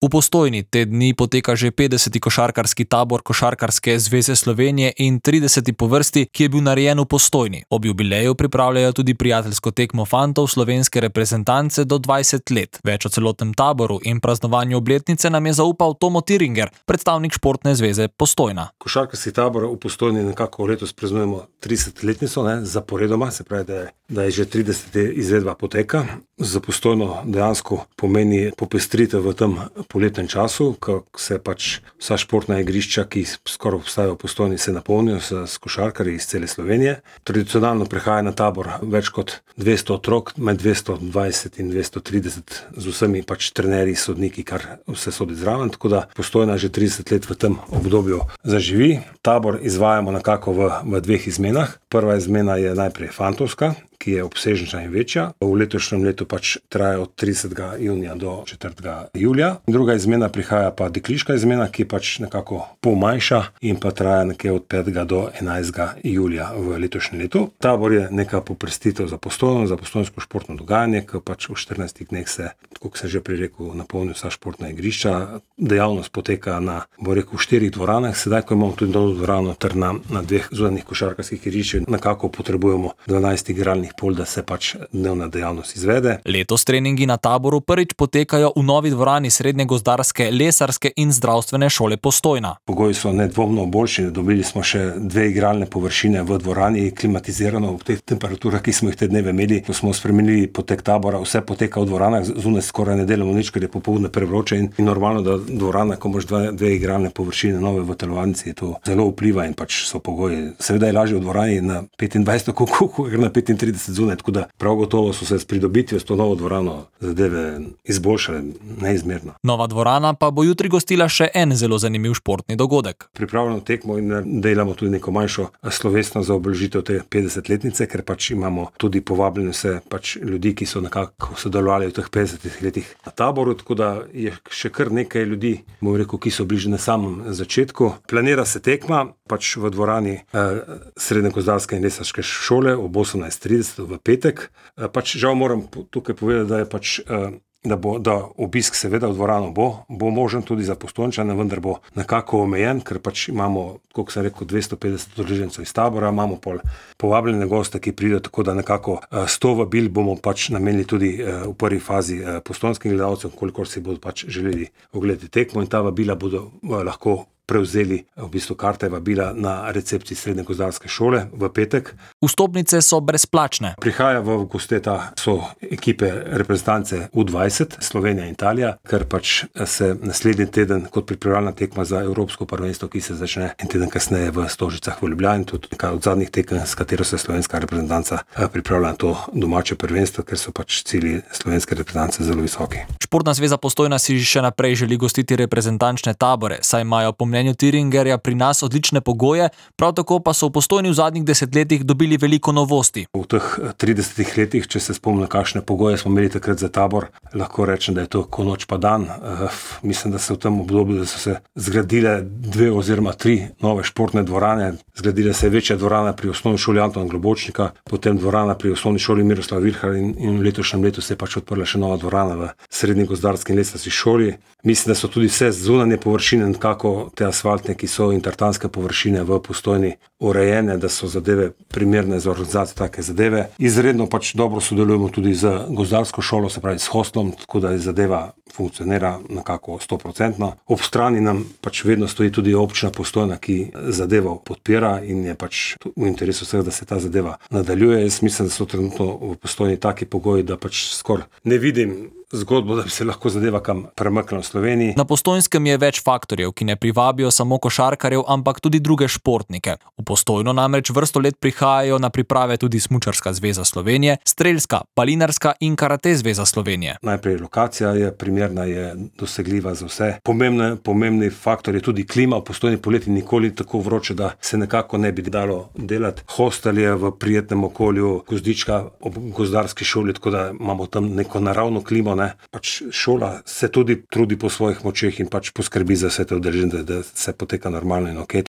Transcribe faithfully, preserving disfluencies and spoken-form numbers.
V Postojni te dni poteka že petdeseti košarkarski tabor Košarkarske zveze Slovenije in trideseti po vrsti, ki je bil narejen v Postojni. Ob jubileju pripravljajo tudi prijateljsko tekmo fantov slovenske reprezentance do dvajset let. Več o celotnem taboru in praznovanju obletnice nam je zaupal Tomo Tiringer, predstavnik Športne zveze Postojna. Košarkarski tabor v Postojni nekako letos praznujemo tridesetletnico, ne, zaporedoma, se pravi, da je, da je že trideseta izvedba poteka. Za Postojno dejansko pomeni popestritev v tem poletnem času, ko se pač vsa športna igrišča, ki skoraj obstajajo v Postojni, se napolnijo s, s košarkarji iz cele Slovenije. Tradicionalno prihaja na tabor več kot dvesto otrok, med dvesto dvajset in dvesto trideset, z vsemi pač trenerji, sodniki, kar vse sodi zraven, tako da Postojna že trideset let v tem obdobju zaživi. Tabor izvajamo nekako v, v dveh izmenah. Prva izmena je najprej fantovska, ki je obsežnejša in večja. V letošnjem letu pač traja od tridesetega junija do četrtega julija. Druga izmena prihaja pa dekliška izmena, ki je pač nekako pol manjša in pa traja nekje od petega do enajstega julija v letošnjem letu. Tabor je neka poprestitev za Postojno, za postojnsko športno dogajanje, ki pač v štirinajstih dneh se, tako se že prej rekel, napolni vsa športna igrišča. Dejavnost poteka na, bo rekel, štirih dvoranah, sedaj, ko imamo tudi novo dvorano ter na, na dveh zunanjih košarkarskih igriščih, nekako potrebujemo dvanajst igralnih pol, da se pač dnevna dejavnost izvede. Letos treningi na taboru prvič potekajo v novi dvorani Srednje gozdarske, lesarske in zdravstvene šole Postojna. Pogoji so nedvomno boljši, dobili smo še dve igralne površine v dvorani, klimatizirano ob teh temperaturah, ki smo jih te dneve imeli. Ko smo spremenili potek tabora, vse poteka v dvoranah, zunaj skoraj ne delamo nič, ker je popoldne prevroče in, in normalno, da dvorana, ko imaš dve, dve igralne površine nove v telovadnici, to zelo vpliva in pač so pogoji. Seveda je lažje v dvorani na petindvajset kuku, ker na petintrideset zunaj, tako da prav gotovo so se s pridobitvijo s to novo dvorano zadeve izboljšale neizmerno. Nova dvorana pa bo jutri gostila še en zelo zanimiv športni dogodek. Pripravljamo tekmo in delamo tudi neko manjšo slovesno za obeležitev te petdesetletnice, ker pač imamo tudi povabljene vse pač ljudi, ki so nekako sodelovali v teh petdesetih letih na taboru, tako da je še kar nekaj ljudi, bom rekel, ki so bliže na samem začetku. Planira se tekma pač v dvorani eh, Srednje gozdarske in lesarske šole ob osemnajst trideset v petek. Pač žal moram tukaj povedati, da je pač, da bo, da obisk seveda v dvorano bo, bo možen tudi za Postojnčane, vendar bo nekako omejen, ker pač imamo, kot sem rekel, dvesto petdeset udeležencev iz tabora, imamo pol povabljene goste, ki pridejo, tako da nekako sto vabil bomo pač namenili tudi v prvi fazi postojnskim gledalcem, kolikor si bodo pač želeli ogledati tekmo, in ta vabila bodo lahko prevzeli v bistvu karte vabila na recepciji Srednje gozdarske šole v petek. Vstopnice so brezplačne. Prihaja v gosteta so ekipe reprezentance U dvajset, Slovenija in Italija, ker pač se naslednji teden kot pripravljalna tekma za Evropsko prvenstvo, ki se začne en teden kasneje v Stožicah v Ljubljani, tudi nekaj od zadnjih tekem, s katero se slovenska reprezentanca pripravlja na to domače prvenstvo, ker so pač cilji slovenske reprezentance zelo visoki. Športna zveza Postojna si še naprej želi gostiti reprezentančne tabore, saj imajo po mnenju Tiringerja pri nas odlične pogoje, prav tako pa so v Postojni v zadnjih desetletjih dobili veliko novosti. V teh tridesetih letih, če se spomnim, kakšne pogoje smo imeli takrat za tabor, lahko rečem, da je to ko noč pa dan. Uh, mislim, da se v tem obdobju, da so se zgradile dve oziroma tri nove športne dvorane. Zgradila se je večja dvorana pri osnovni šoli Antona Globočnika, potem dvorana pri osnovni šoli Miroslav Virhar in, in v letošnjem letu se je pač odprla še nova dvorana v Srednji gozdarski in lesarski šoli. Mislim, da so tudi vse zunanje površine, nekako te asfaltne, ki so in tartanske površine v Postojni urejene, da so zadeve primerne za organizacijo take zadeve. Izredno pač dobro sodelujemo tudi z gozdarsko šolo, se pravi s hostlom, tako da je zadeva funkcionira nekako sto procentno. Ob strani nam pač vedno stoji tudi občina Postojna, ki zadevo podpira in je pač v interesu vseh, da se ta zadeva nadaljuje. Jaz mislim, da so trenutno v Postojni taki pogoji, da pač skoraj ne vidim zgodbo, da bi se lahko zadeva kam premaknila v Sloveniji. Na Postojnskem je več faktorjev, ki ne privabijo samo košarkarjev, ampak tudi druge športnike. V Postojno namreč vrsto let prihajajo na priprave tudi Smučarska zveza Slovenije, Strelska, Palinarska in Karate zveza Slovenije. Najprej lokacija je primerna, je dosegljiva za vse. Pomembne, pomembni faktor je tudi klima. V Postojni poleti nikoli tako vroče, da se nekako ne bi dalo delati. Hostel je v prijetnem okolju, gozdička ob gozdarski šoli, tako da imamo tam neko naravno klimo. Ne? Pač šola se tudi trudi po svojih močeh in pač poskrbi za vse te udeležence, da se poteka normalno in ok.